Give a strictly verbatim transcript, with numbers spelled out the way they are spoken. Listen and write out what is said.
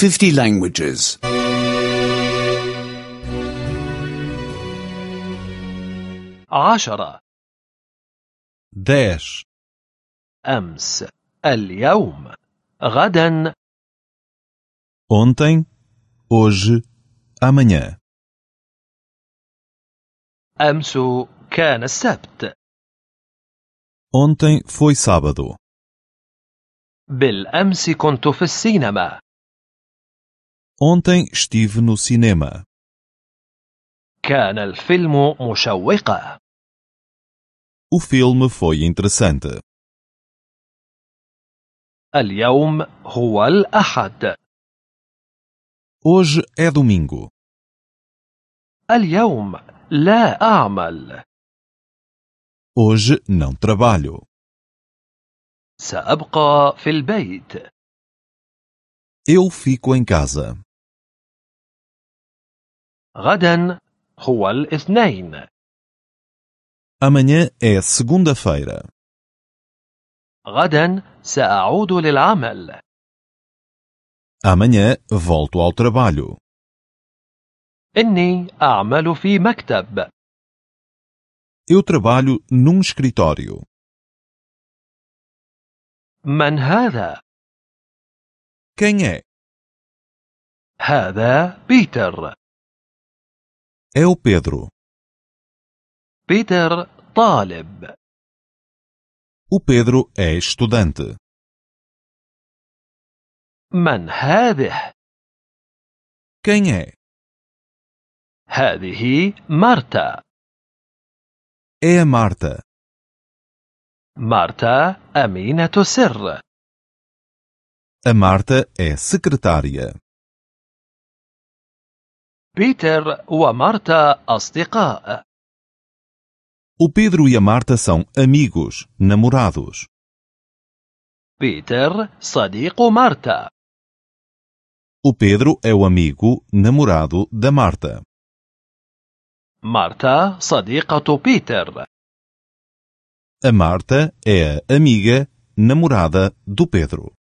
fifty languages. عشرة. dez, أمس، اليوم، غدا. ontem, hoje, amanhã. أمس كان السبت. Ontem foi sábado. بالأمس كنت في السينما. Ontem estive no cinema. كان الفيلم مشوقا. O filme foi interessante. اليوم هو الأحد. Hoje é domingo. اليوم لا أعمل. Hoje não trabalho. سأبقى في البيت. Eu fico em casa. غدا هو الاثنين. Amanhã é segunda-feira. غدا سأعود للعمل. Amanhã volto ao trabalho. إني أعمل في مكتب. Eu trabalho num escritório. من هذا؟ Quem é? هذا بيتر. É o Pedro. بيتر طالب. O Pedro é estudante. من هذه؟ Quem é? هذه مارتا. É a Marta. مارتا أمينة سر. A Marta é secretária. بيتر ومارتا أصدقاء. O Pedro e a Marta são amigos, namorados. بيتر صديق مارتا. O Pedro é o amigo, namorado da Marta. مارتا صديقة بيتر. A Marta é a amiga, namorada do Pedro.